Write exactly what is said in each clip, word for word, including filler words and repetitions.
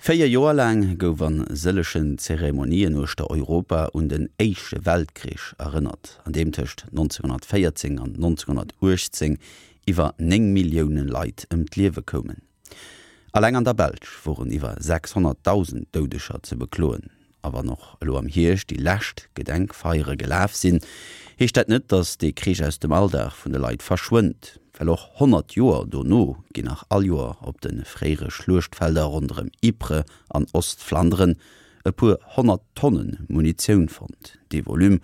Véier Joer laang gouf a sëllegen Zeremonien uechter Europa un den Éischte Weltkrich erënnert, an deem tëscht nonzénghonnertvéierzéng an nonzénghonnertuechtzéng iwwer néng Millioune Leit ëm d'Liewe koumen. Alleng an der Belsch woren iwwer sechshonnertdausend Doudeger ze bekloen. A wann och elo am Hierscht déi lescht Gedenkfeiere gelaf sinn, heescht dat net, datt dee Krich aus dem Alldag vun de Leit verschwënnt. Well och honnert Joer dono ginn nach all Joer op de fréiere Schluechtfelder ronderëm Ypres an Ostflanderen e puer honnert Tonne Munitioun fonnt. Dee Volume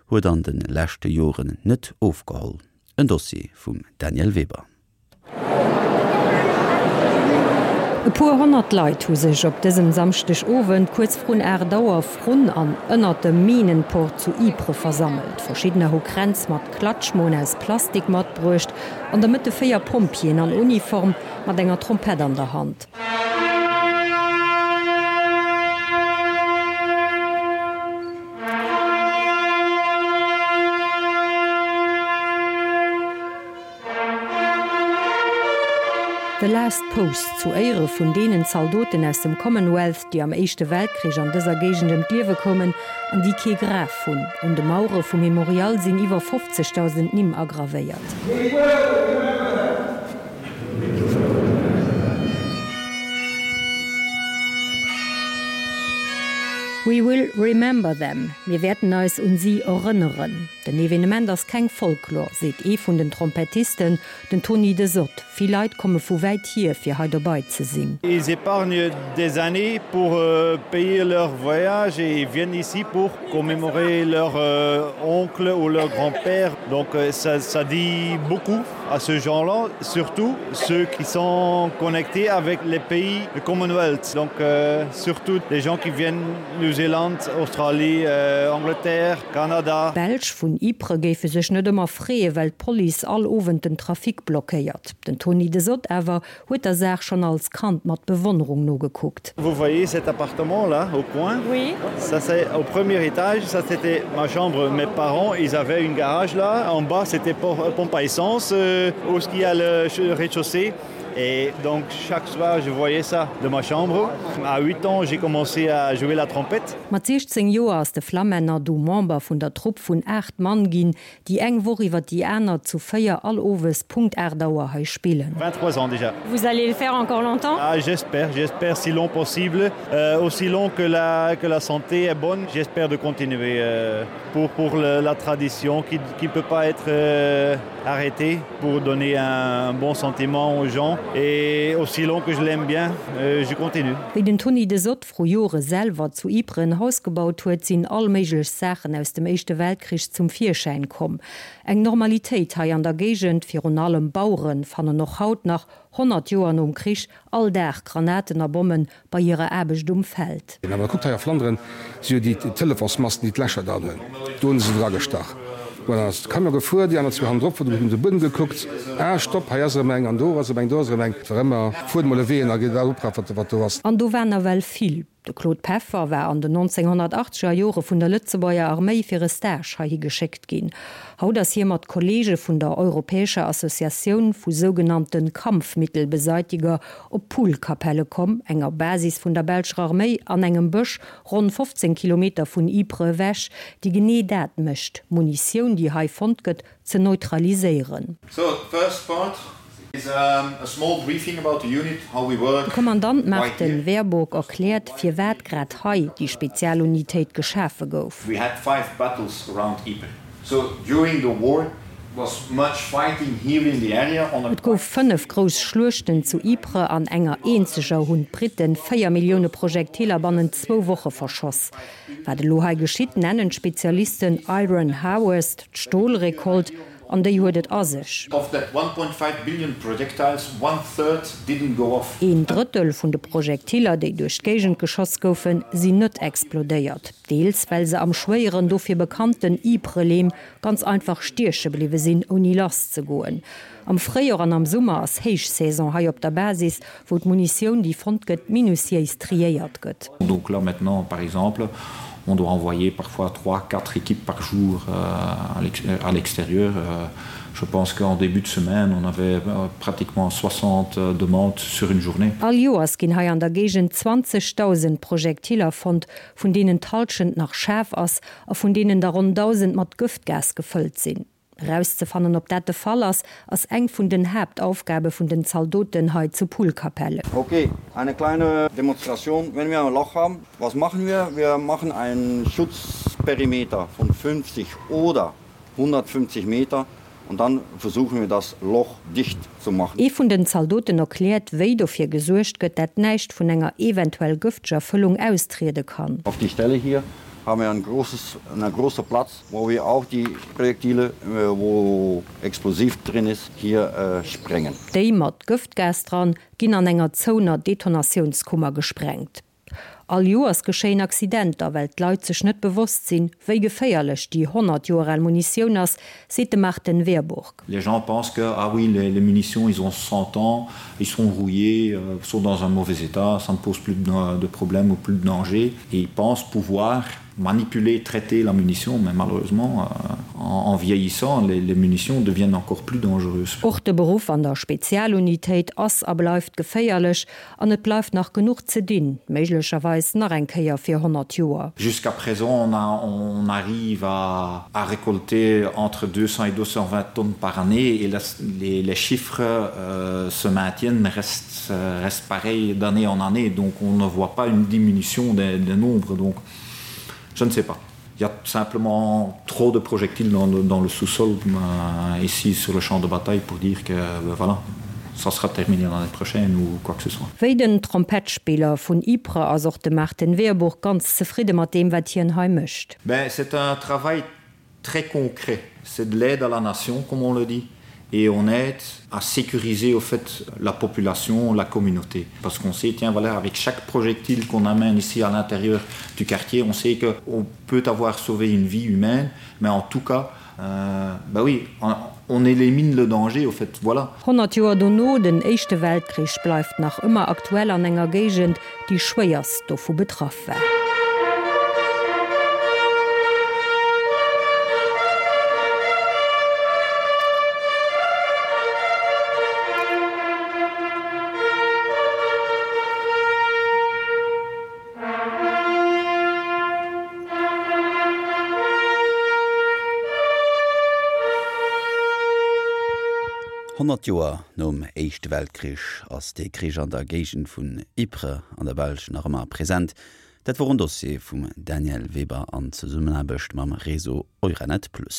huet an de leschte Joren net ofgeholl. En Dossier vum Danièle Weber. E puer honnert Leit hu sech op dësem Samschdeg Owend kuerz vrun aacht Auer vrun an ënnert dem Minenport zu Ypres versammelt. Verschiddener hu Kränz mat Klatschmoen aus Plastik matbruecht, an der Mëtt de véier Pompjeeën an Uniform mat enger Trompett an der Hand. The Last Post, zu Éiere vun deenen Zaldoten aus dem Commonwealth, déi am Éischte Weltkrich an dëser Géigend ëm d'Liewe koumen an déi kee Graf hunn. Un de Mauere vum Memorial sinn iwwer fofzegdausend Nimm agravéiert. We will remember them, mir wäerten eis un si erënneren. Den Evenement ass keng Folklor, seet ee vun den Trompettisten, den Tony Desodt. Vill Leit komme vu wäit hier, fir hei dobei ze sinn. Ils épargnent des années pour payer leur voyage et ils viennent ici pour commémorer leur oncle ou leur grand-père. Donc ça ça dit beaucoup à ce gens-là, surtout ceux qui sont connectés avec les pays de Commonwealth. Donc surtout les gens qui viennent New Zealand, Australie, Angleterre, Canada. D'Belsch vun Ypres géife sech net ëmmer freeë well d'Police all Owend den Trafic blockéiert. Den Tony Desodt awer huet der Saach schonn als Kand mat Bewonnerung nogekuckt. Vous voyez cet appartement là au coin? Oui. Ça c'est au premier étage, ça c'était ma chambre. Mes parents ils avaient une garage là, en bas c'était pompe à essence où ce qu'il y a le rez-de-chaussée. Et donc chaque soir je voyais ça de ma chambre. À huit ans j'ai commencé à jouer la trompette. Mat siechzéng Joer ass de Flammänner du Member vun der Trupp vun aacht Mann ginn, déi eng Woch iwwer déi aner zu véier all Owes Punkt aacht Auer hei spillen. vingt-trois ans déjà. Vous allez le faire encore longtemps? Ah j'espère, j'espère si long possible, euh, aussi long que la, que la santé est bonne, j'espère de continuer euh, pour, pour le, la tradition qui, qui peut pas être euh, arrêtée pour donner un, un bon sentiment aux gens et aussi long que je l'aime bien, euh, je continue. Wéi den Tony Desodt vru Jore selwer zu Ypres en Haus gebaut huet, sinn all méiglech Saachen aus dem Éischte Weltkrich zum Virschäin komm. Eng Normalitéit hei an der Géigend, virun allem Baueren fannen och haut nach, honnert Joer nom Krich, all Dag Granaten a Bommen bei hirer Aarbecht um Feld. Awer kuckt hei a Flanderen si jo déi Telefonsmasten, déi d'Lächer dran hunn, do hunn se se dragestach. Bon, dann ass de Camion gefuer, déi aner zwee hannendrop hunn op de Buedem gekuckt, ah stopp, hei ass erëm eng an do ass erëm eng, do ass erëm eng. Et war ëmmer, fuert mol e Wee an a gitt oprafen, wat do ass. An do war nawell vill. De Claude Peffer war an den nonzénghonnertachtzeger Jore vun der Lëtzebuerger Arméi fir e Stage heihi geschéckt ginn. Haut ass hie mat Kolleege vun der Europäescher Associatioun vu sougenannte Kampfmittelbeseitiger op Poelkapelle komm, enger Basis vun der belscher Arméi an engem Bësch ronn fofzéng Kilometer vun Ypres ewech, déi genee dat mécht, Munitioun, déi hei fonnt gëtt, ze neutraliséieren. De Kommandant Martin Werbock erkläert, firwat grad hei déi Spezialunitéit geschafe gouf. Et gouf fënnef grouss Schluechten zu Ypres. An enger eenzeger hunn d'Britten véier Millioune Projektiler bannent zwou Woche verschoss. Wat elo hei geschitt, nennen d'Spezialisten Iron Harvest, d'Stolrekolt. An déi huet et a sech. Een Drëttel vun de Projektiller, déi duerch d'Géigend geschoss goufen, sinn net explodéiert. Deels well se am schwéieren, dofir bekannten Ypres-Leem ganz einfach stieche bliwwe sinn, ouni lass ze goen. Am Fréijor an am Summer ass Héichsaison hei op der Basis, wou d'Munitioun, déi fonnt gëtt, minutiéis triéiert gëtt. Donc là maintenant, par exemple, on doit envoyer parfois trois, quatre équipes par jour à l'extérieur Je pense qu'en début de semaine, on avait euh, pratiquement soixante euh, demandes sur une journée. All Joers ginn hei an der Géigend zwanzegdausend Projektiller fonnt, vun deenen d'Hallschent nach schaarf ass a vun deenen der ronn dausend mat Gëftgas gefëllt sinn. Erauszefannen, ob dat de Fall ass, ass eng vun den Haaptaufgabe vun den Zaldoten hei zu Poelkapelle. Okay, eine kleine Demonstration. Wenn wir ein Loch haben, was machen wir? Wir machen einen Schutzperimeter von fünfzig oder hundertfünfzig Meter und dann versuchen wir das Loch dicht zu machen. Ee vun den Zaldoten erkläert, wéi dofir gesuergt gëtt, dat näischt vun enger eventuell gëfteger Fëllung austriede kann. Auf die Stelle hier haben wir ein großes, einen großen Platz, wo wir auch die Projektile, äh, wo Explosiv drin ist, hier äh, sprengen. Déi mat Gëftgas dran ginn an enger zouener Detonatiounskummer gesprengt. All Joers geschéien Accidenter, well d'Leit sech net bewosst sinn, wéi geféierlech déi honnert Joer al Munitioun ass, seet de Martin Wehrburg. Les gens pensent que, ah oui, les, les munitions, ils ont cent ans, ils sont rouillés, euh, sont dans un mauvais état, ça ne pose plus de, de problème ou plus de danger. Et ils pensent pouvoir manipuler, traiter la munition, mais malheureusement, euh, en, en vieillissant, les, les munitions deviennent encore plus dangereuses. Och de Beruff an der Spezialunitéit ass a bleift geféierlech an et bleift nach genuch ze dinn, méiglecherweis nach eng Kéier fir honnert Joer. Jusqu'à présent, on a, on arrive à, à récolter entre deux cents et deux cent vingt tonnes par année et la, les, les chiffres, euh, se maintiennent, restent, restent pareils d'année en année, donc on ne voit pas une diminution des, des nombres, donc je ne sais pas. Il y a simplement trop de projectiles dans le, dans le sous-sol, euh, ici sur le champ de bataille pour dire que, ben voilà, ça sera terminé l'année prochaine ou quoi que ce soit. Wéi den Trompettspiller vun Ypres ass och de Martin Wehrburg ganz zefridde mat deem, wat hien hei mécht. Ben, c'est un travail très concret. C'est de l'aide à la nation, comme on le dit. Et on aide à sécuriser au fait la population, la communauté. Parce qu'on sait, tiens, voilà, avec chaque projectile qu'on amène ici à l'intérieur du quartier, on sait qu'on peut avoir sauvé une vie humaine, mais en tout cas, euh, ben oui, on, on élimine le danger, au fait, voilà. Honnert Joer dono, den Éischte Weltkrich bleift nach ëmmer aktuell an enger Géigend, déi schwéierst dovu betraff war. Honnert Joer nom Éischte Weltkrich ass de Krich an der Géigend vun Ypres an der Belsch nach ëmmer present. Dat wor en Dossier vum Daniel Weber an Zesummenaarbecht mam Réseau Euranet Plus.